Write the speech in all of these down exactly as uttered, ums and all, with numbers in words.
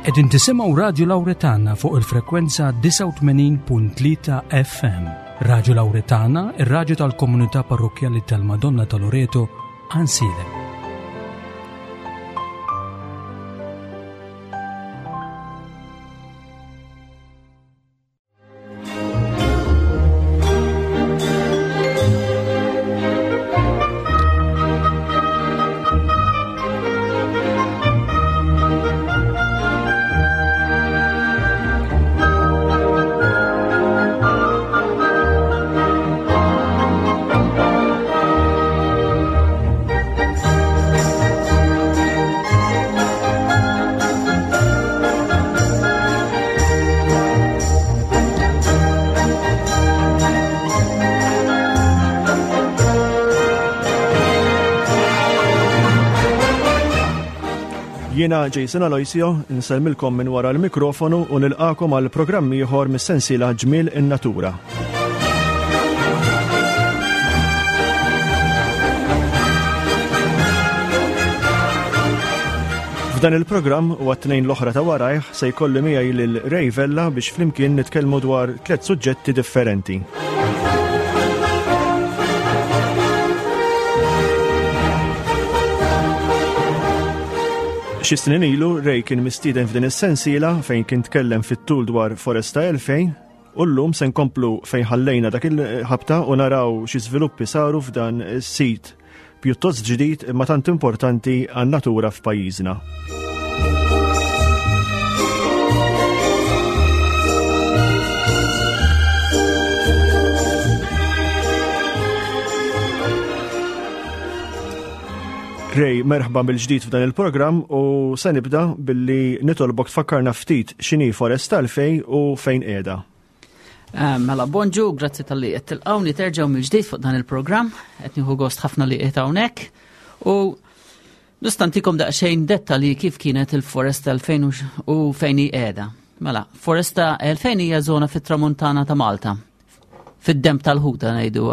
Qegħdin tisimgħu Radio Lauretana fuq il-frekwenza disgħa u tmenin punt tlieta F M. Radio Lauretana, ir-radju tal-Komunità Parrokkjali tal-Madonna ta' Loreto, Għajnsielem. Jiena Jason Aloisio, nsellmilkom minn wara l-mikrofonu u nilqakom għal programm ieħor mis-sensiela Ġmiel in-Natura. F'dan il-programm u għat-tnejn l-oħra ta' warajh se jkolli miegħi lil Ray Vella biex flimkien nitkellmu dwar tliet suġġetti differenti. Xi snin ilu Ray kien mistieden f'din is-sensiela fejn kien tkellem fit-tul dwar Foresta elfejn u llum se nkomplu fejn ħallejna dak il-ħabta u naraw xi żviluppi saru f'dan is-sit pjuttost ġdid imma tant importanti għan-natura f'pajjiżna. Ray, merħba mill-ġdid f'dan il-programm u se nibda billi nitolbok tfakkarna ftit x'inhi Foresta elfejn u fejn qiegħda. Eh, mela, bonġu, grazzi tal-li qed tilqawni terġgħu mill-ġdid fuq dan il-programm, qed nieħu gost ħafna li qiegħed hawnhekk. U nista' ntikom daqsxejn dettalji kif kienet il-Foresta elfejn u x-, u fejn hi qiegħda. Mela, Foresta elfejn hija żona fit-tramuntana ta' Malta, fid-demb tal-ħuta ngħidu.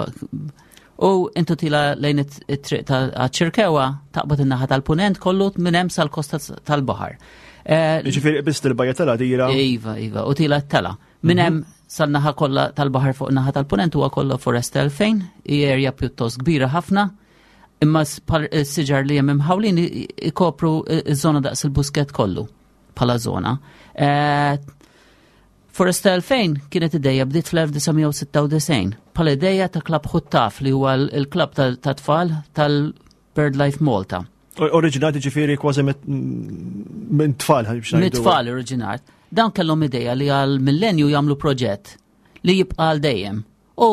U intu tila lejn it-, it-triq ta' Ċirkewa, taqbad in-naħa tal-punent kollu minn hemm sal-kosta tal-baħar. Eh, Jiġifieri qbist il-bajja tal-Għadira. Iva, iva, u tila t-tela. Minn Mhm. hemm sal-naħa kollha tal-baħar fuq naħa tal-punent huwa kollha Foresta elfejn, hi erja pjuttost kbira ħafna, imma s-, pal-, s-siġar li hemm imħawlin i-, ikopru iż-żona daqs il-busket kollu bħala żona. Eh, Foresta elfejn kienet ideja bdiet fl-elf disa' mija u sitta u disgħin bħala ideja ta' Klabb Ħuttaf li huwa l-, il-klabb ta', ta' tfal tal-BirdLife Malta. O-, oriġinat ġifieri kważi mit-, minn tfal, biex Minn ngħidu. tfal oriġinat. Dawn kellhom ideja li għal millenju jagħmlu proġett li jibqa' għal dejjem. U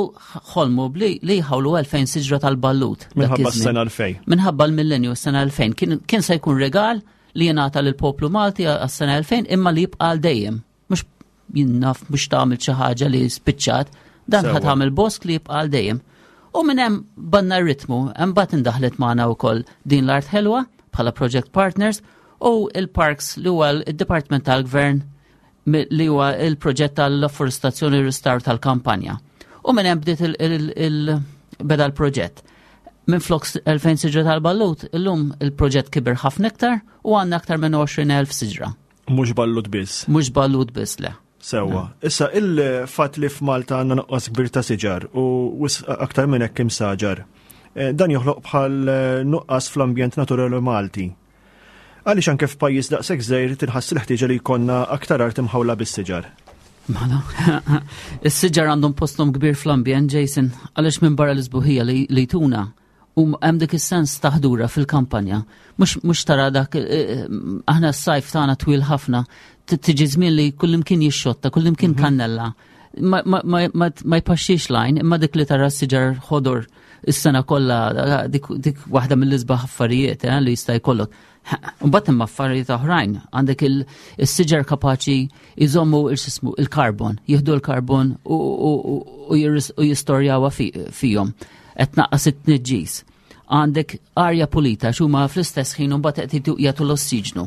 ħolmu bli li jħawlu elfejn siġra tal-ballut dak Minħabba iż-żmien. s-sena elfejn. Minħabba l-millenju s-sena elfejn. Kien, kien se jkun regal li jingħata lill-poplu Malti għas-sena elfejn imma li jibqa' għal dejjem. Mhux jinnaf mhux tagħmel xi ħaġa li spiċċat, dan Sewwa. ħa tagħmel bosk li jibqa' għal dejjem. U minn hemm banna r-ritmu, hemm mbagħad indaħlet magħna wkoll din l-Art Ħelwa bħala project partners u il-Parks li huwa il-Dipartiment tal-Gvern mi-, li huwa il-proġett tal-afforestazzjoni u restawr tal-kampanja. U minn hemm bdiet il-, il-, il-, beda l-proġett. Minn flok s-, elfejn siġra tal-ballut, illum il-proġett kiber ħafna iktar u għandna aktar minn għoxrin elf siġra. Mhux ballut biss. Mhux ballut biss, le. Sewwa. Issa il-fatt li f'Malta għandna nuqqas kbir ta' siġar u wisq aktar minn hekk imsaġar, eh, dan joħloq bħal, eh, nuqqas fl-ambjent naturali Malti. Għaliex anke f'pajjiż daqshekk żgħir tinħass il-ħtieġa li jkollna aktar art imħawla bis-siġar? Mela, is-siġar għandhom posthom kbir fl-ambjent, Jason, għaliex minn barra l-isbuħija li, li tuna u hemm dik is-sens ta' ħdura fil-kampanja. Mhux, mhux tara dak, eh, eh, aħna s-sajf tagħna twil ħafna, t-, tiġi żmien li kullimkien jixxotta, kullimkien Mhm. kannella. Ma, ma, ma, ma, ma jpaxxix lajn, imma dik li tara s-siġar ħodor is-sena kollha, dik, dik waħda mill-isbaħ affarijiet, eh, li jista' jkollok. Mbagħad hemm affarijiet oħrajn, għandek il-, is-siġar kapaċi jżommu il-xismu, il-karbon, jieħdu l-karbon u, u, u, u jirris-, u jistorjawha fi-, fihom. Qed tnaqqas it-tniġġis. Għandek arja pulita x'huma fl-istess ħin imbagħad qed jagħtu, jagħtu l-ossiġnu.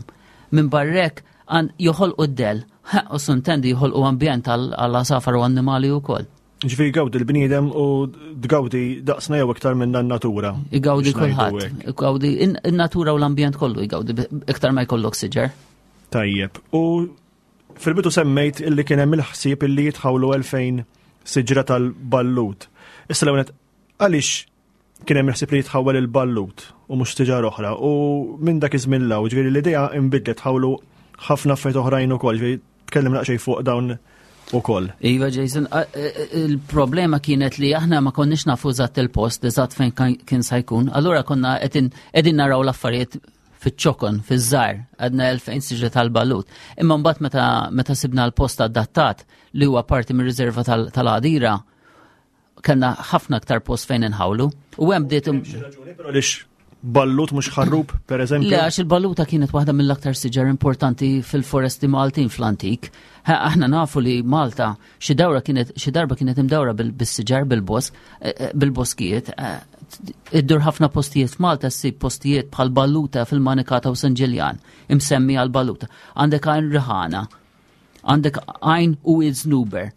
Minn barrek għan-, joħolqu d-del, ha, u suntendi joħolqu ambjent għal, għal għasafar u annimali wkoll. Ġifieri jgawdi l-bniedem u tgawdi daqsna jew iktar minn natura. Igawdi Biex ngħidu kulħadd. hekk. Igawdi in-, in-natura u l-ambjent kollu jgawdi bi-, iktar ma jkollok siġar. Tajjeb. U fil-bidu semmejt illi kien hemm il-ħsieb illi jitħawlu elfejn siġra tal-ballut. Issa l għaliex kien hemm il-ħsieb li jitħawel il-ballut u mhux siġar oħra, u minn dak iż-żmien 'l hawn, ġifieri l-idea inbidlet, ħawlu ħafna affarijiet oħrajn ukoll, ġifieri tkellem naqxej fuq dawn ukoll. Iva, Jason, il-problema kienet li aħna ma konniex nafu eżatt il-post, eżatt fejn kien sa jkun. Allura konna qegħdin naraw l-affarijiet fiċ-ċokon, fiż-żgħar, għedna elfejn siġra tal-ballut. Imma mbagħad meta meta sibna l-post adattat li huwa parti mir-riserva tal-Għadira, kellna ħafna aktar post fejn inħawlu. U hemm bdiet Però għaliex ballut mhux ħarrub, per eżempju? Le, għax il-balluta kienet waħda mill-aktar siġar importanti fil-foresti Maltin fl-antik. Aħna nafu li Malta xi dawra kienet xi darba kienet imdawra bil-siġar, bil-bosk, eh, eh, bil-boskijiet. Eh, iddur ħafna postijiet f'Malta ssib postijiet bħal Balluta fil-Manikata u San Ġiljan, imsemmi għal Balluta. Għandek Għajn Riħana, għandek Għajn u Iżnuber,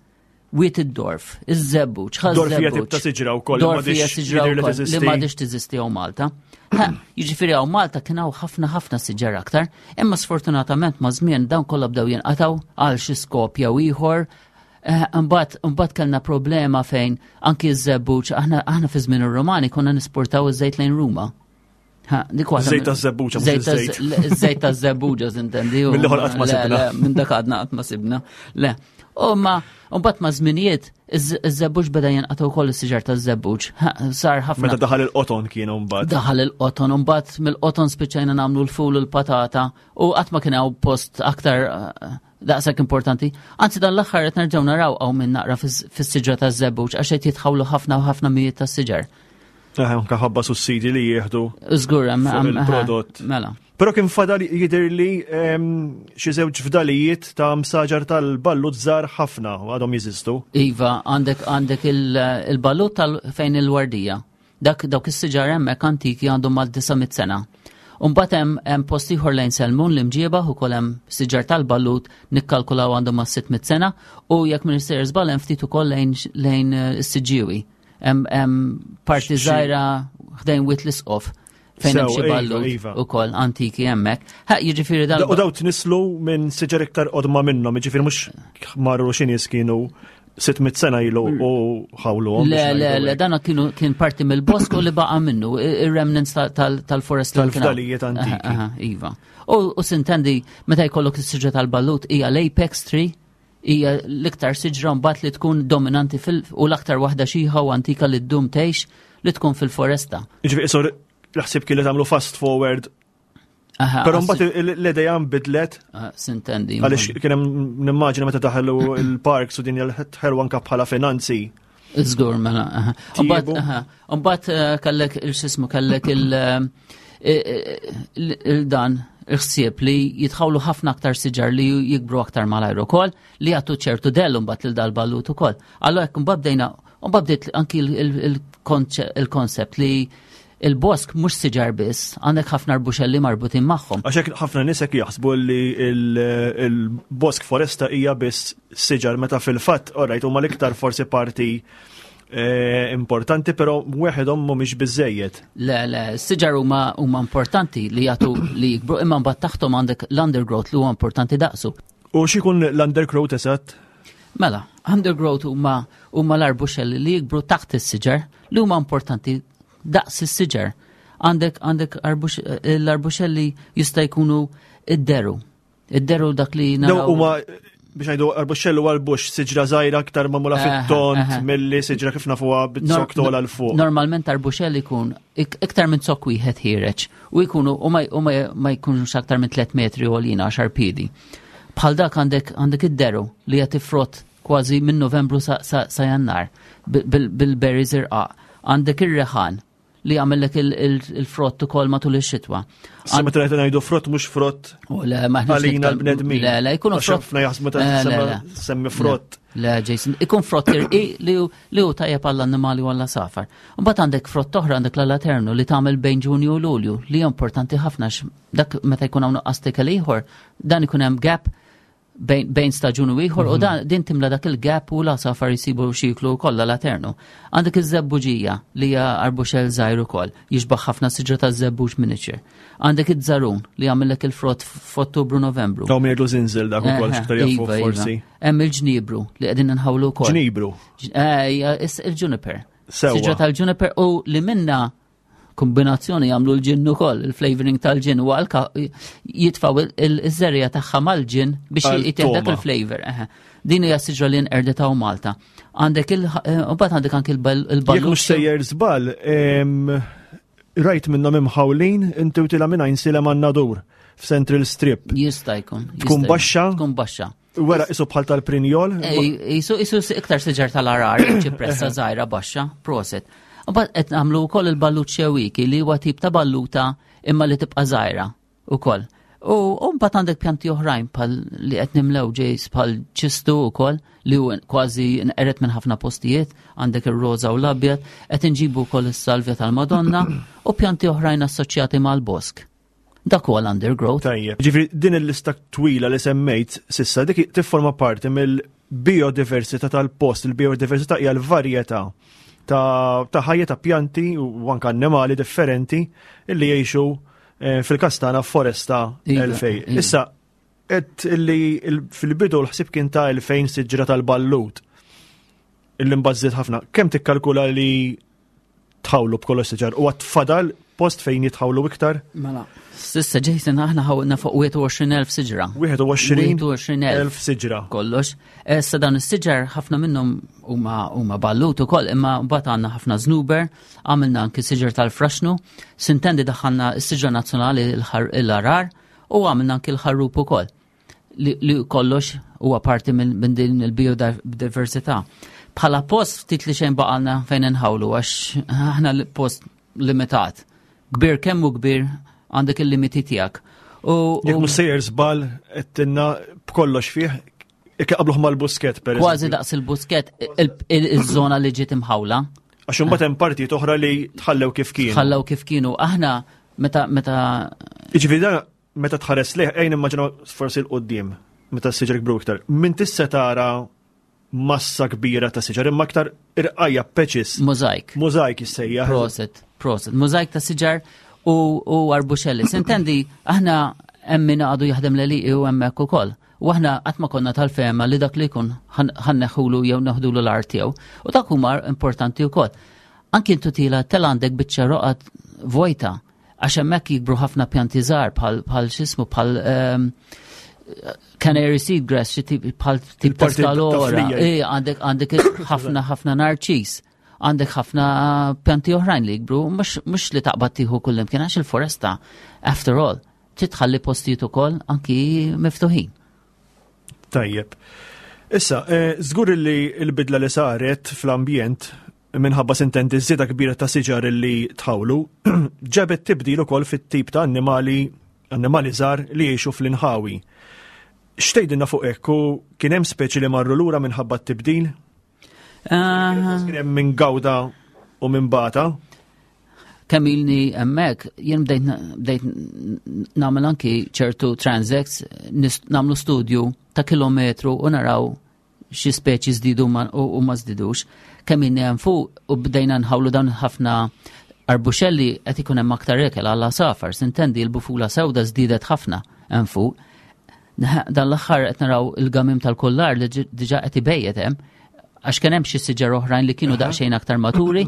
Wied id-Dorf, iż-Żebbuġ, Dorf hija tip ta' siġra wkoll. Dorf hija siġra wkoll li m'għadix teżisti hawn Malta. Jiġifieri hawn Malta kien hawn ħafna ħafna siġar aktar, imma sfortunatament ma' żmien dawn kollha bdew jinqataw għal xi skop jew ieħor. Mbagħad mbagħad kellna problema fejn anki ż-żebbuġ, aħna aħna fi żmien ir-Romani konna nisportaw iż-żejt lejn Ruma. Żejt taż-żebbuġa. Żejt taż-żebbuġa, intendi. Mill-ieħor qatt ma sibna. Minn dak għadna qatt ma sibna. Le. U ma mbagħad ma' żminijiet iż-żebbuġ beda jinqata' wkoll is-siġar taż-żebbuġ. Sar ħafna. Meta daħal il-qoton kienu mbagħad. Daħal il-qoton, u mbagħad mill-qoton spiċċajna nagħmlu l-ful u l-patata u qatt ma kien hawn post aktar eh, daqshekk importanti. Anzi, dan l-aħħar qed nerġgħu naraw hawn minn naqra fis-siġra taż-żebbuġ għax qed jitħawlu ħafna u ħafna mijiet tas-siġar. Anka ħabba sussidi li jieħdu. Żgur, il-prodott. Mela. Però kien fadal jidher li xi żewġ fdalijiet ta' msaġar tal-ballut żgħar ħafna u għadhom jeżistu. Iva, għandek għandek il-ballut tal fejn il-Wardija. Dak dawk is-siġar hemmhekk antiki, għandhom mal disa' mitt sena. Umbagħad hemm hemm post ieħor lejn Selmun, l-Imġiebaħ, ukoll hemm siġar tal-ballut, nikkalkulaw għandhom ma' sitt mitt sena, u jekk minn sejjer żball hemm ftit ukoll lejn lejn is-Siġġiewi. Hemm parti żgħira ħdejn Wied l-Isqof fejn hemm xi iva, ballut iva. ukoll antiki hemmhekk. Ha, jiġifieri dal U daw tnislu minn siġar iktar qodma minnhom, jiġifieri mhux marru xi nies kienu sitt mitt sena ilu u ħawluhom. Le, le, le, dana kienu kien parti mill-bosko li baqa minnu, ir-remnants tal-forest li kien hawn. Tal-fdalijiet antiki. Aha, aha, iva. U u sintendi, meta jkollok is-siġra tal-ballut hija l-apex tree, hija l-iktar siġra mbagħad li tkun dominanti fil u l-aktar waħda xiħa u antika li ddum tgħix li tkun fil-foresta. Jiġifieri isor l-ħsieb kien li tagħmlu fast forward. Aha, Però mbagħad l-idea nbidlet. Ah, sintendi. Għaliex kien hemm, nimmaġina, meta daħlu il-parks u din ħelwa anka bħala finanzi. Żgur, mela. Aha. Tiebu. Mbagħad, aha, mbagħad eh, kellek il-xismu, kellek il- eh, il- il-dan il-ħsieb li jitħawlu ħafna aktar siġar li jikbru aktar malajr ukoll, li jagħtu ċertu dellu mbagħad lil dal-ballut ukoll. Allora hekk mbagħad bdejna, mbagħad bdiet anki il-koncept li il-bosk mhux siġar biss, għandek ħafna arbuxelli marbutin magħhom. Għax hekk ħafna nies hekk jaħsbu li il-bosk foresta hija biss siġar, meta fil-fatt, alright, huma l-iktar forsi parti eh, importanti, però weħedhom mhumiex biżejjed. Le, le, s-siġar huma huma importanti li jagħtu li jikbru, imma mbagħad taħtom għandek l-undergrowth li huwa importanti daqsu. U x'ikun l-undergrowth eżatt? Mela, undergrowth huma huma l-arbuxelli li jikbru taħt is-siġar li huma importanti daqs is-siġar. Għandek għandek l-arbuxelli jista' jkunu id-deru. Id-deru dak li Daw naraw. huma, biex ngħidu, arbuxellu għal bush, siġra żgħira aktar magħmula Aha, fit-tont aha. milli siġra kif nafuha bit-zokk tola 'l fuq. Normalment arbuxelli jkun ik- iktar minn zokk wieħed ħiereġ u jkunu u ma, u ma, ma jkunux aktar minn tliet metri għolina, għaxar piedi. Bħal dak għandek għandek id-deru li jagħti frott kważi minn Novembru sa, sa, sa Jannar bil- bil-berries irqaq. Għandek ir-reħan li jagħmellek il-frott ukoll matul ix-xitwa. Sa meta qed ngħidu frott, mhux frott U le, ma aħniex għalina nitkellmu- l-bnedmin. Le, le, jkunu Għax frott. ħafna jaħsbu meta Eh, le, semma- le. semmi frott. Le, Jason, ikun frott irqiq li hu- li hu tajjeb għall-annimali u għall-għasafar. Mbagħad għandek frott oħra, għandek l-alaternu li tagħmel bejn Ġunju u Lulju, li hija importanti ħafna għax dak meta jkun hawn nuqqas ikel ieħor, dan ikun hemm gap Bejn staġun u ieħor u mhm. dan din timla dak il-gap u l-għasafar jisibu x'jieklu kollha l-aternu. Għandek iż-żebbuġija li hija arbuxell żgħir ukoll, jixbaħ ħafna siġra taż-żebbuġ miniature. Għandek iż-żarun li jagħmellek il-frott f'Ottubru Novembru. Dawn jgħidu zinżil dak ukoll Eħe, x'iktar jafu iva, iva. forsi. Hemm il-ġnibru li qegħdin nħawlu wkoll. Ġnibru. Eh, il-juniper. Sewwa. Siġra tal-juniper u li minna kombinazzjoni jagħmlu l-ġin ukoll, il-flavoring tal-ġin u għalka jitfaw il-żerja tagħha mal-ġin biex Għal jitih dak toma. il-flavor. eħe. Din hija siġra li nqerdet hawn Malta. Għandek il eh, u mbagħad għandek anke Jekk il-ballu. mhux sejjer żball, em, rajt minnhom imħawlin inti u tila minn Għajnsielem għan-Nadur f'Central Strip. Jista' jkun. jista' Tkun jkun. baxxa? Tkun baxxa. Wera isu bħal tal-prinjol. Isu isu iktar siġar tal-arar, ċipressa żgħira baxxa, proset. U mbagħad qed nagħmlu wkoll il-ballut xewiki li huwa tip ta' balluta imma li tibqa' żgħira ukoll. U u mbagħad għandek pjanti oħrajn bħal li qed nimlew ġejs bħal ċistu wkoll li hu kważi nqeret minn ħafna postijiet, għandek ir-roża u l-abjad, qed inġibu wkoll is-salvja tal-Madonna u pjanti oħrajn assoċjati mal-bosk. Dak huwa l-undergrowth. Tajjeb. Ġifieri din il-lista twila li semmejt sissa dik tifforma parti mill-biodiversità tal-post. Il-biodiversità hija l-varjetà ta' ta' ħajja ta' pjanti u anke annimali differenti illi jgħixu eh, fil-każ tagħna foresta Iva, elfej. iva. Issa qed illi il- fil-bidu l-ħsib kien ta' elfejn siġra tal-ballut illi mbażżit ħafna. Kemm tikkalkula li tħawlu b'kollox siġar u għad fadal post fejn jitħawlu iktar? Mela. Sissa Jason aħna ħawilna fuq wieħed u għoxrin elf siġra. wieħed u għoxrin elf siġra. Kollox. Issa dawn is-siġar ħafna minnhom huma huma ballut ukoll, imma mbagħad għandna ħafna znuber, għamilna anki siġar tal-fraxnu, sintendi daħħalna s-siġra nazzjonali l-arar u għamilna anki l-ħarrub ukoll. Li, li kollox huwa parti minn min din il-biodiversità. Bħala post ftit li xejn baqalna fejn inħawlu għax aħna l-post limitat. Kbir kemm hu kbir għandek il-limiti tiegħek. U, Jekk u mhux sejjer żball qed b'kollox fih, jekk qabluh mal-Buskett per kważi daqs il-Buskett il-żona li ġiet imħawla. Għax imbagħad hemm partijiet oħra li tħallew kif kienu. Tħallew kif kienu. Aħna meta meta Jiġifieri dan meta tħares lejh ejn immaġinaw forsi 'l quddiem meta s-siġar kbru iktar. Min tista' tara massa kbira ta' siġar imma aktar irqajja patches. Mozaik. Mozaik jissejjaħ. Proset, proset. Mozaik ta' siġar u, u arbuxelli. Sintendi, aħna hemm min għadu jaħdem l u hemmhekk ukoll. U aħna qatt ma konna tal-fehma li dak li jkun ħa nneħħulu jew neħdulu l-art tiegħu. U dak huma importanti wkoll. Anki intu tila tel għandek biċċa roqgħat vojta għax hemmhekk jikbru ħafna pjanti żgħar bħal bħal x'ismu bħal ehm, canary seedgrass, xi tip bħal tip ta' Il-parti ta' skalora. flija. Eh, għandek għandek ħafna ħafna narċis. Għandek ħafna pjanti oħrajn li jikbru, mhux mhux li taqbad tieħu kullimkien għax il-foresta, after all, titħalli postijiet ukoll anki miftuħin. Tajjeb. Issa, eh, żgur li l-bidla li saret fl-ambjent minħabba sintendi żieda kbira ta' siġar li tħawlu, ġabet tibdil ukoll fit-tip ta' annimali annimali żgħar li jgħixu fl-inħawi. X'tgħidilna fuq hekk u kien hemm speċi li marru lura minħabba t-tibdil? Ah, Kien hemm min gawda u min bata? Kemm ilni hemmhekk, jien bdejt bdejt nagħmel anki ċertu transects, nis- nagħmlu studju ta' kilometru u naraw xi speċi żdiedu ma- u u ma żdidux. Kemm ilni hemm fuq u bdejna nħawlu dawn ħafna arbuxelli qed ikun hemm aktar ikel għall-għasafar, sintendi l-bufula sewda żdiedet ħafna hemm fuq. Dan l-aħħar qed naraw il-gamim tal-kollar li ġi- diġà qed ibejjet hemm għax kien hemm xi siġar oħrajn li kienu daqsxejn aktar maturi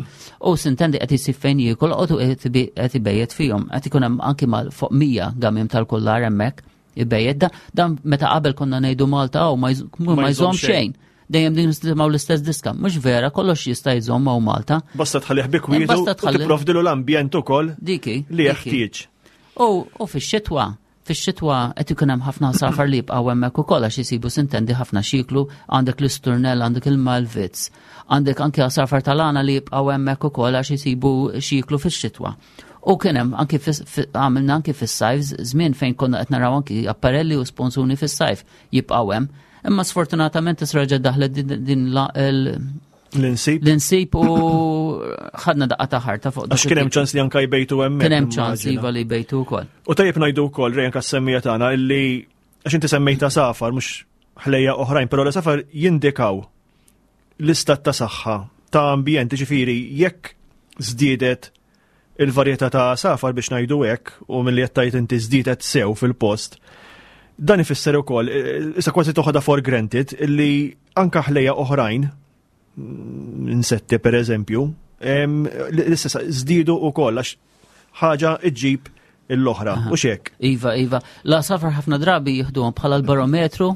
u sintendi qed isib fejn jiekol u qed ibi- qed ibejjet fihom. Qed ikun hemm anki mal fuq mija gamim tal-kollar hemmhekk ibejjet. Dan, dan meta qabel konna ngħidu Malta oh, ma jż- ma jżomm xejn. Dejjem din nisimgħu l-istess diska. Mhux vera, kollox jista' jżomm hawn Malta. Basta tħallih bi kwietu Basta u tħalli- tipprovdilu l-ambjent ukoll Diki. li diki. jeħtieġ. U, u fix-xitwa, fix-xitwa qed ikun hemm ħafna għasafar li jibqgħu hemmhekk ukoll għax isibu sintendi ħafna x'jieklu, għandek l-isturnell, għandek il-malvizz, għandek anke għasafar tal-għana li jibqgħu hemmhekk ukoll għax isibu x'jieklu fix-xitwa. U kien hemm anki fis- fi- għamilna anki fis-sajf żmien fejn konna qed naraw anki apparelli u sponsuni fis-sajf jibqgħu hemm. Imma sfortunatament issa reġgħet daħlet din, din la, il, L-insib. l-insib u ħadna daqqa ta' ħarta fuq dak Għax kien hemm it-tip. ċans li anka jbejtu hemmhekk. Kien hemm ċans immaġina. iva li jbejtu wkoll. U tajjeb ngħidu wkoll Ray anka s-semmija tagħna illi għax inti semmejta għasafar mhux ħlejjaq oħrajn, però l-għasafar jindikaw l-istat ta' saħħa ta' ambjent, ġifieri jekk żdiedet il-varjetà ta' għasafar, biex ngħidu hekk, u milli qed tgħid inti żdiedet sew fil-post, dan ifisser ukoll, issa kważi toħodha for granted, illi anka ħlejjaq oħrajn, insetti per eżempju, l-istess żdiedu ukoll għax ħaġa iġġib l-oħra, u xek. Iva, iva. L-għasafar ħafna drabi jieħduhom bħala l-barometru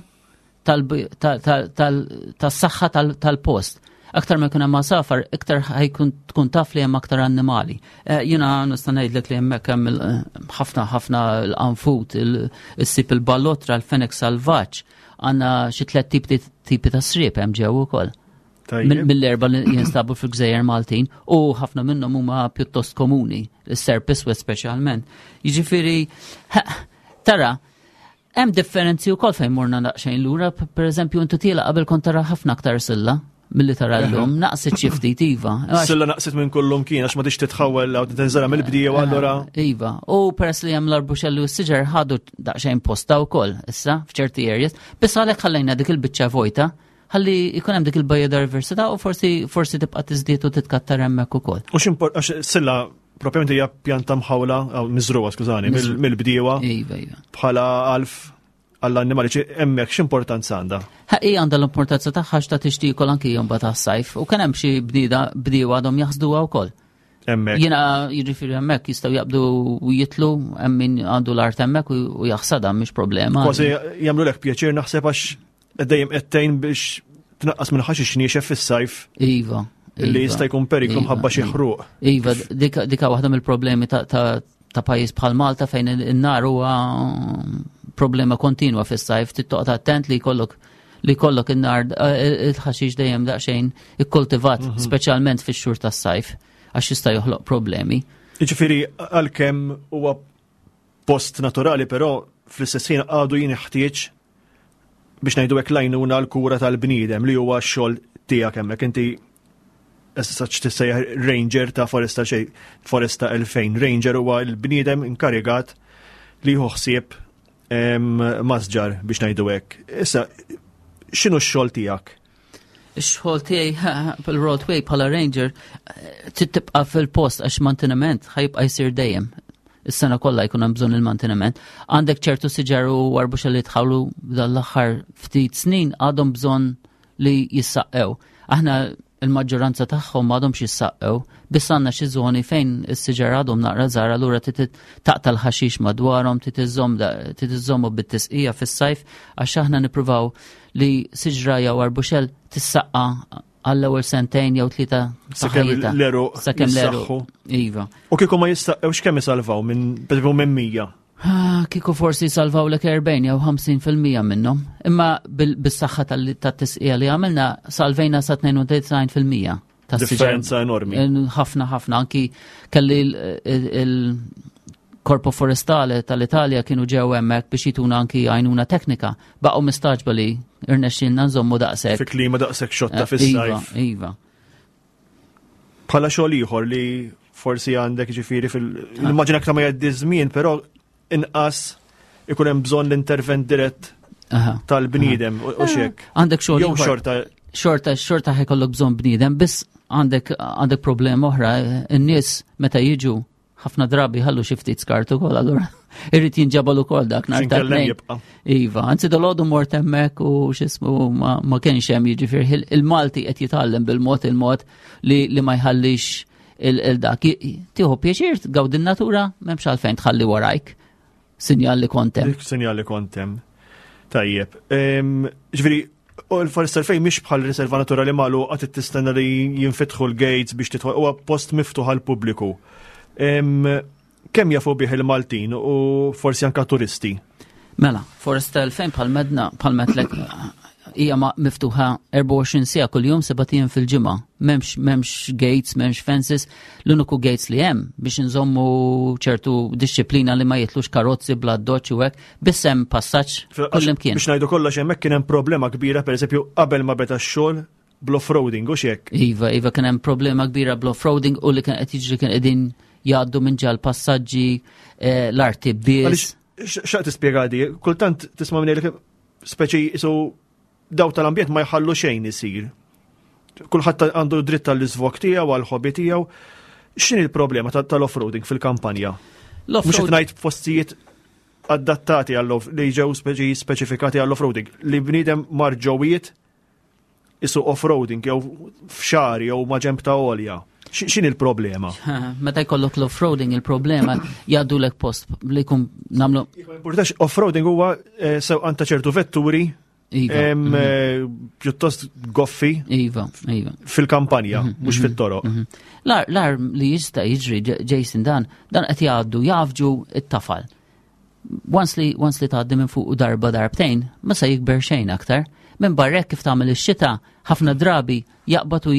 tas-saħħa tal-post. Aktar ma jkun hemm għasafar, iktar ħajkun tkun taf li hemm aktar annimali. Eh, jiena nista' ngħidlek li hemmhekk hemm ħafna ħafna l-qanfut, issib il-ballotra, l-fenek salvaġġ, għandna xi tliet tipi ta' sriep hemm ġew ukoll. Mill-erba li jinstabu fil-gżejjer Maltin u ħafna minnhom huma pjuttost komuni, is-serp iswed speċjalment. Jiġifieri, tara, hemm differenzi wkoll fejn morna daqsxejn lura, pereżempju intu tiela qabel kont tara ħafna aktar silla milli tara llum, naqset xi ftit, iva. Silla naqset minn kullum kien għax ma tix titħawel għaw tinżara mill-bdiewa allura. Iva, u peress li hemm l-arbuxelli u s-siġar ħadu daqsxejn posta wkoll issa f'ċerti areas, biss għalhekk ħallejna dik il-biċċa vojta ħalli jkun hemm dik il-biodiversità u forsi forsi tibqa' tiżdied u titkattar hemmhekk ukoll. U x'import għax silla propjament hija pjanta mħawla, aw miżruha, skużani, mill-bdiewa. Iva, iva. Bħala għalf għall-annimali, hemmhekk x'importanza għandha? Hi għandha l-importanza tagħha x'ta tixtiekol anki jum tas-sajf u kien hemm xi bnieda bdiewa għadhom jaħsduha wkoll. Hemmhekk. Jiena jiġifieri hemmhekk jistgħu jaqbdu u jitlu hemm min għandu l-art hemmhekk u jaħsadha, mhix problema. Kważi jagħmlu lek pjaċir naħseb għax dejjem qed tgħin biex tnaqqas minn ħaxix niexef fis-sajf. Iva. Li iva, jista' jkun periklu iva, mħabba xi iva. ħruq. Iva, dika dika waħda mill-problemi ta' ta' ta' pajjiż bħal Malta fejn in-nar huwa problema kontinwa fis-sajf, trid attent li jkollok li jkollok in-nar eh, il-ħaxix dejjem daqsxejn ikkultivat, Mhm. speċjalment fix-xhur tas-sajf, għax jista' joħloq problemi. Jiġifieri għalkemm huwa post naturali, però fl-istess ħin għadu jinħtieġ, biex ngħidu hekk, l-għajnuna l-kura tal-bniedem li huwa x-xogħol tiegħek hemmhekk. Inti issa tissejjaħ ranger ta' Foresta xej Foresta elfejn. Ranger huwa l-bniedem inkarigat li jieħu ħsieb em, masġar, biex ngħidu hekk. Issa x'inhu x-xogħol tiegħek? Ix-xogħol tiegħi fil-roadway bħala ranger eh, trid tibqa' fil-post għax manteniment ħa jibqa' jsir dejjem. Is-sena kollha jkun hemm bżonn il-manteniment. Għandek ċertu siġar u arbuxelli li tħawlu dal-aħħar ftit snin għadhom bżonn li jissaqqew. Aħna il-maġġoranza tagħhom m'għadhomx jissaqqew, biss għandna xi żoni fejn is-siġar għadhom naqra żgħar, allura trid taqta' l-ħaxix madwarhom, trid iżżomm trid iżżommu bit-tisqija fis-sajf għax aħna nippruvaw li siġra jew arbuxell tissaqqa għall-ewwel sentejn jew tlieta ta' Sakemm ħajjitha. l-għeruq Sakemm l-għeruq. jissaħħu. Iva. U kieku ma jissaqqewx kemm isalvaw minn per minn mija? Ah, kieku forsi salvaw lek erbgħin jew ħamsin fil-mija minnhom. Imma bil- bis-saħħa tal- tat-tisqija li għamilna salvejna sa tnejn u disgħin fil-mija tas-siġar. Differenza enormi. Ħafna ħafna, anki kelli il-Korpo Forestale tal-Italja kienu ġew hemmhekk biex jituna anki għajnuna teknika. Baqgħu mistaġba li irnexxielna nżommu daqshekk. Fi klima daqshekk xotta Eh, Iva, fis-sajf. Iva. Bħala xogħol ieħor li forsi għandek, ġifieri fil immaġina aktar ma jgħaddi żmien, però inqas ikun hemm bżonn l-intervent dirett Aha. tal-bniedem u u xek. Għandek xogħol Jew ieħor. xorta xorta xorta ħa jkollok bżonn bniedem, biss għandek għandek problema oħra, in-nies meta jiġu ħafna drabi ħallu xi ftit skart ukoll, allura irrid jinġabal ukoll dak nhar ta' X'inkellem tnejn. jibqa'. Iva, anzi dalgħodu mort hemmhekk u x'ismu ma, ma kienx hemm, jiġifieri il-Malti qed jitgħallem bil-mod il-mod li, li ma jħallix il-dak. Tieħu pjaċir tgawdi n-natura, m'hemmx għalfejn tħalli warajk sinjal li kont hemm. Dik sinjal li kont hemm. Tajjeb. Em, Ġifieri, u l-Foresta elfejn mhix bħal riserva naturali magħluqa qed tistenna li jinfetħu l-gates biex tidħol, huwa post miftuħ għall-pubbliku. Em, Kemm jafu bih il-Maltin u forsi anka turisti? Mela, Foresta elfejn bħal medna, bħal metlek, hija ma miftuħa erbgħa u għoxrin siegħa kuljum, sebat ijiem fil-ġimgħa. M'hemmx m'hemmx gates, m'hemmx fences, l-uniku gates li hemm biex nżommu ċertu disċiplina li ma jitlux karozzi bla doċ u hekk, biss hemm passaġġ kullimkien. Biex ngħidu kollox, hemmhekk kien hemm problema kbira, pereżempju, qabel ma beda x-xogħol, bl-off-roading u xek. Iva, iva, kien hemm problema kbira bl-off-roading u li kien qed jiġri kien qegħdin jgħaddu minn ġal passaġġi eh, l-arti biss. Għaliex x'aq tispjega di, kultant tisma' minn li speċi isu Daw tal-ambjent ma jħallu xejn isir. Kulħadd għandu dritt tal-iżvog tiegħu, għall-hobby tiegħu. X'inhi l-problema tal-off-roading fil-kampanja? Mhux qed ngħid postijiet adattati għall li ġew speċifikati għall-off-roading, li bniedem mar ġowiet isu off-roading jew f'xagħri jew ma' ġemb ta' għolja. X'inhi il-problema? Meta jkollok l-off-roading, il-problema jgħaddulek post li jkun nagħmlu. Importanx, off-roading huwa eh, sewqan ta' ċertu vetturi Iva. Em, eh, pjuttost goffi Iva, iva. fil-kampanja, mhux fit-toroq. L-agħar l-agħar li jista' jiġri, Jason, dan, dan qed jgħaddu jgħaffġu it-tafal. Once li once li tgħaddi minn fuq darba darbtejn, ma se jikber xejn aktar. Minn barrek kif tagħmel ix-xita, ħafna drabi jaqbad u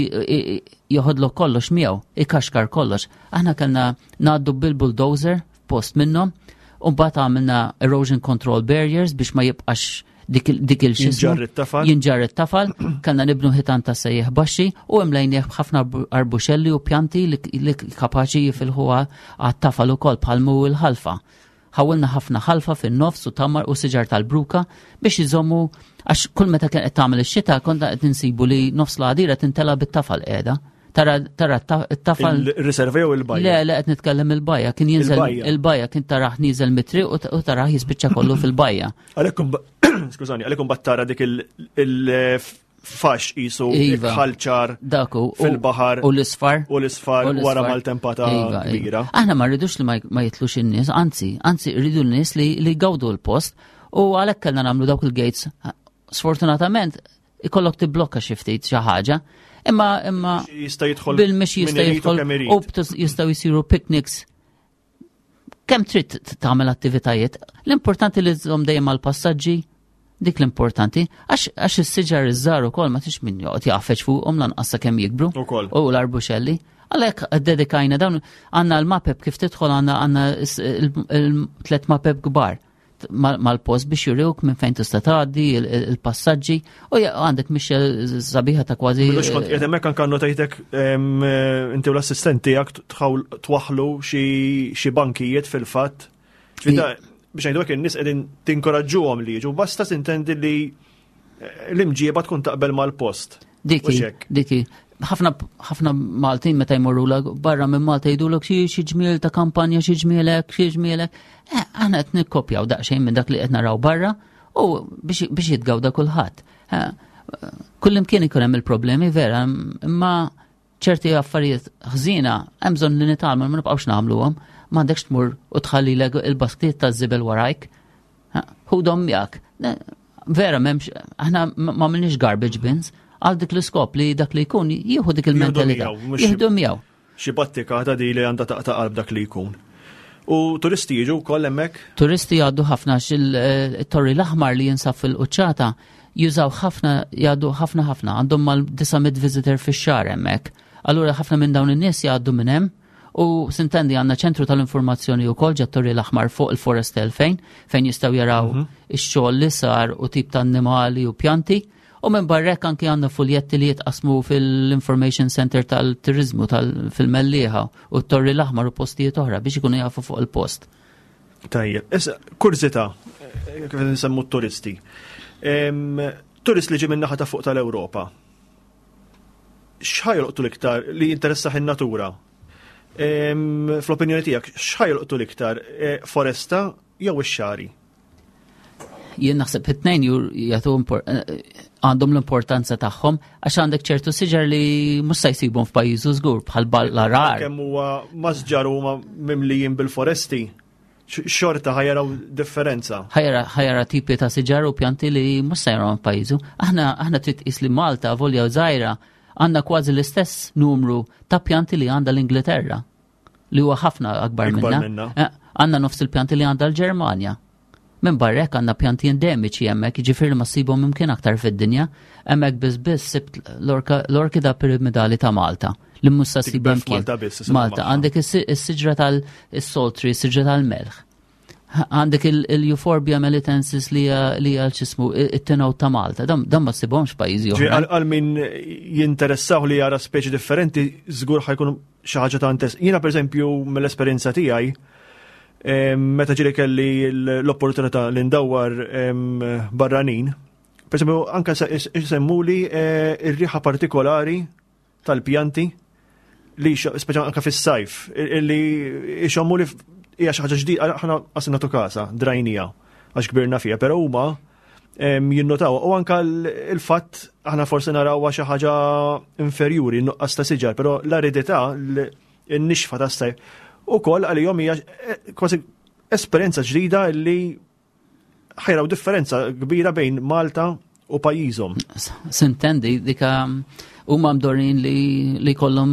joħodlok kollox miegħu, ikaxkar kollox. Aħna kellna ngħaddu bil-bulldozer post minnhom, u mbagħad għamilna erosion control barriers biex ma jibqax dik dik il-xismu. Jinġarr it-tafal. Jinġarr it-tafal, kellna nibnu ħitan ta' sejjeħ baxxi u imlejnieh b'ħafna arbuxelli u pjanti li, li kapaċi jifilħu għat-tafal ukoll bħal mu l-ħalfa. Ħawilna ħafna ħalfa fin-nofs u tamar u siġar tal-bruka biex jżommu, għax kull meta kien qed tagħmel ix-xita konna qed insibu li nofs l-għadira tintela bit-tafal qiegħda. Tara tara t-tafal. Il-riserva jew il-bajja? Le, le, qed nitkellem il-bajja, kien jinżel il-bajja, kien taraħ nieżel mit-triq u taraħ jispiċċa kollu fil-bajja. Għalhekk, skużani, għalhekk imbagħad tara dik il-fax qisu Iva. ħalċar Daku fil-baħar u l-isfar. U l-isfar wara maltempata Iva, iva. kbira. Aħna ma rridux li ma ma jitlux in-nies, anzi, anzi rridu n-nies li li jgawdu l-post u għalhekk kellna nagħmlu dawk il-gates. Sfortunatament ikollok tibblokka xi ftit xi ħaġa, imma imma Jista' jidħol bil-mixi jista' min irid u jidħol kemm irid. u btus- jistgħu jsiru picnics. Kemm trid tagħmel attivitajiet, l-importanti li żomm dejjem mal-passaġġi, dik l-importanti, għax għax is-siġar iż-żgħar ukoll ma tix min joqgħod jgħaffeġ fuqhom lanqas sakemm jikbru. Ukoll. U l-arbuxelli. Għalhekk dedikajna dawn, għandna l-mapep kif tidħol, għandna għandna il-tlet mapep kbar mal-post biex juriwk minn fejn tista' tgħaddi, il-passaġġi u għandek mixja sabiħa ta' kważi. Bilux kont qiegħed hemmhekk, anke notajtek inti u l-assistent tiegħek twaħlu xi bankijiet fil-fatt. Biex ngħidu hekk, in-nies qegħdin tinkoraġġuhom li jiġu, basta tintendi li eh, l-imġieba tkun taqbel mal-post. Diki, diki. Ħafna ħafna Maltin meta jmorru barra minn Malta jgħidulek xi xi ġmiel ta' kampanja, xi ġmielek, xi ġmielek. Eh, aħna qed nikkopjaw daqsxejn minn dak li qed naraw barra u biex jitgawda kulħadd. Eh, kullimkien ikun hemm il-problemi vera, imma ċerti affarijiet ħżiena hemm bżonn li nitgħallmu ma nibqgħux nagħmluhom. M'għandekx tmur u tħalli il-basktiet taż-żibel warajk. Ħudhom miegħek. Vera m'hemmx, aħna ma għamilniex garbage bins għal dik l-iskop li dak li jkun jieħu dik il-mentalità. Jieħdu miegħu. Xi battika ta' di li għandha taqta' qalb dak li jkun. U turisti jiġu wkoll hemmhekk? Turisti jgħaddu ħafna, il-Torri l-Aħmar li jinsab fil-quċċata jużaw ħafna, jgħaddu ħafna ħafna, għandhom mal-disa' mitt visitor fix-xahar hemmhekk. Allura ħafna minn dawn in-nies jgħaddu minn hemm u sintendi għandna ċentru tal-informazzjoni wkoll ġat-Torri l-Aħmar fuq il-Forest elfejn fejn jistgħu jaraw mhm. ix-xogħol li sar u tip ta' annimali u pjanti. U minn barrek anki għandna fuljetti li jitqasmu fil-Information Center tal-Turizmu tal-fil-Mellieħa u t-Torri l-Aħmar u postijiet oħra biex ikunu jafu fuq il-post. Tajjeb, issa kurżità, kif nsemmu t-turisti. Turist li ġi minn naħa ta' fuq tal-Ewropa. X'ħa jolqtu l-iktar li jinteressah in-natura? Fl-opinjoni tiegħek, x'ħa jolqtu l-iktar, e, foresta jew ix-xagħri? Jien naħseb it-tnejn jagħtu eh, għandhom l-importanza tagħhom, għax għandek ċertu siġar li mhux se jsibhom f'pajjiżu żgur, bħal l-għargħar. Kemm huwa masġar huma mimlijin bil-foresti, xorta ħa jaraw differenza. Ħa jara tipi ta' siġar u pjanti li mhux se jaraw f'pajjiżu. Aħna aħna trid tqis li Malta, volja żgħira, għandna kważi l-istess numru ta' pjanti li għandha l-Ingilterra, li huwa ħafna akbar minna. Eh, għandna nofs il-pjanti li għandha l-Ġermanja. Minn barrek għandna pjanti endemiċi hemmhekk, jiġifieri ma ssibhom imkien aktar fid-dinja. Hemmhekk biss biss sibt l-orkida piramidali ta' Malta li mhux se ssibha Malta biss. Malta għandek is-siġra tal-salt tree, is-siġra tal-melħ. Għandek il-Euphorbia melitensis li hija x'jismu it-tinaw ta' Malta. Dan ma ssibhomx pajjiżi oħra. Għal min jinteressaw li jara speċi differenti, żgur ħa jkun xi ħaġa ta' interess. Jiena, pereżempju, mill-esperjenza tiegħi, meta ġieli kelli l-opportunità li ndawwar barranin, per Per esempio, anka semmuli eh, ir-riħa partikolari tal-pjanti li speċa anka fis-sajf, li ixommu li hija xi ħaġa ġdida, aħna qas nagħtu kasa, drajnija, għax kbirna fiha, però huma jinnotaw. U anka il-fatt aħna forsi naraw xi ħaġa inferjuri, nuqqas ta' siġar, però l-aridità, n-nixfa tas-sajf, ukoll għalihom hija eh, kważi esperjenza ġdida li ħa jaraw differenza kbira bejn Malta u pajjiżhom. Sintendi, dika huma mdorrin li li kollhom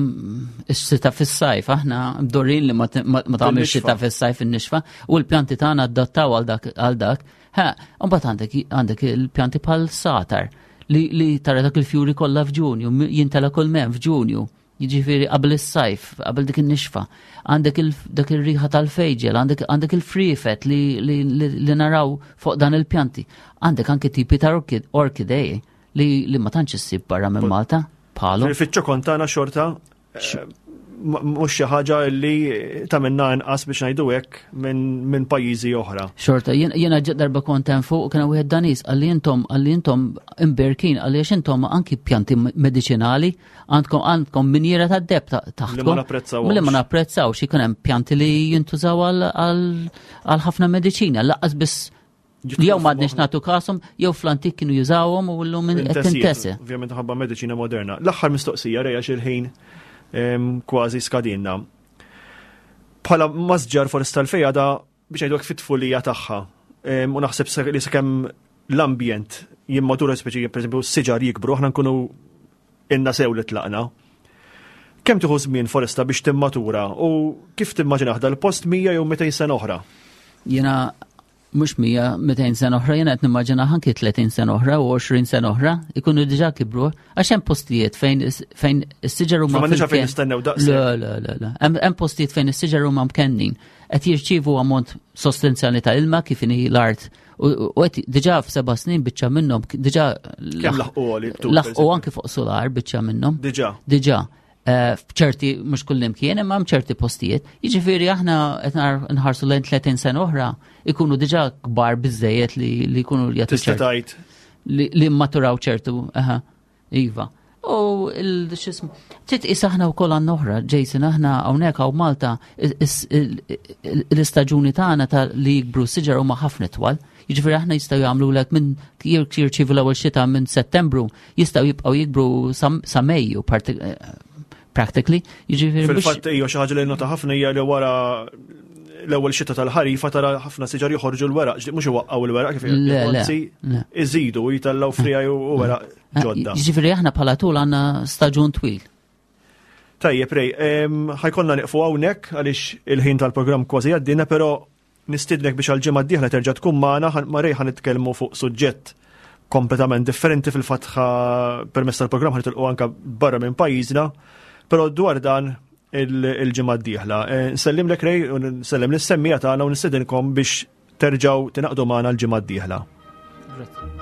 ix-xita fis-sajf, aħna mdorrin li ma tagħmel xita fis-sajf in-nixfa u l-pjanti tagħna adattaw għal dak għal dak. Ha, mbagħad għandek għandek il-pjanti bħal satar li, li tara dak il-fjuri kollha f'Ġunju, jintela kull mem f'Ġunju. Jiġifieri qabel is-sajf, qabel dik in-nixfa. Għandek dak ir-riħa tal-fejġel, għandek għandek il-friefet li, li, li, li naraw fuq dan il-pjanti. Għandek anke tipi ta' orkidei li, li ma tantx issib barra minn Malta. Bħalu. Fiċ-ċokon tagħna xorta eh, mhux xi ħaġa li tagħmilna inqas biex ngħidu hekk minn pajjiżi oħra. Xorta, jiena darba kont hemm fuq kien wieħed Danis qalli intom qalli intom imberkin qalli għax intom anki pjanti mediċinali għandkom għandkom minjera ta' deb taħtkom. Li ma napprezzaw. Li ma napprezzawx ikun hemm pjanti li jintużaw għal ħafna mediċina, lanqas biss jew m'għadniex nagħtu kashom, jew fl-antik kienu jużawhom u llum qed tintesa. Ovvjament ħabba mediċina moderna. L-aħħar mistoqsija reja il-ħin kważi skadinna. Bħala masġar foresta l-fejja da biex ngħidu fit-tfulija tagħha. U naħseb li sakemm l-ambjent jimmatura speċi pereżempju s-siġar jikbru, aħna nkunu inna sew li tlaqna. Kemm tieħu żmien foresta biex timmatura u kif timmaġinaħ dal-post mija jew mitejn sena oħra? Jiena mhux mija, mitejn sena oħra, jiena qed nimmaġina anki tletin sena oħra u għoxrin sena oħra ikunu diġà kibru għax hemm postijiet fejn fejn is-siġar huma Ma fejn nistennew daqs. Le, le, le, le. Hemm postijiet fejn is-siġar huma mkennin qed jirċievu ammont sostanzjali ta' ilma kif inhi l-art u qed diġà f'seba' snin biċċa minnhom diġà kemm laħqu laħqu anki fuq solar biċċa minnhom. Diġà. Diġà. F'ċerti, mhux kullimkien, imma hemm ċerti postijiet. Jiġifieri aħna qed nħarsu lejn tletin sena oħra ikunu diġà kbar biżejjed li li jkunu jagħtu ċertu. Li maturaw ċertu, aha, iva. U il-xismu, trid tqis aħna wkoll għandna oħra, Jason, aħna hawnhekk hawn Malta l-istaġuni tagħna ta' li jikbru siġar huma ħafna twal. Jiġifieri aħna jistgħu jagħmlu lek minn jirċievu l-ewwel xita minn Settembru, jistgħu jibqgħu jikbru sa Mejju practically. Jiġifieri fil-fatt hija xi ħaġa li nota ħafna hija li wara l-ewwel xita tal-ħarifa tara ħafna siġar joħorġu l-weraq, mhux iwaqqgħu l-weraq kif anzi iżidu jitellgħu frija u weraq ġodda. Jiġifieri aħna bħala tul għandna staġun twil. Tajjeb, Ray, ħa jkollna nieqfu hawnhekk għaliex il-ħin tal-programm kważi għaddina, però nistidnek biex għal-ġimgħa d-dieħla terġa' tkun magħna ma' Ray ħa nitkellmu fuq suġġett kompletament differenti fil-fatħa permezz tal-programm ħa nitilqu anka barra minn pajjiżna. Però dwar dan il-ġimgħa d-dieħla. Nsellimlek Ray u nsellem lis-semmiegħa tagħna u nistedinkom biex terġgħu tingħaqdu magħna l-ġimgħa d-dieħla. Grazie.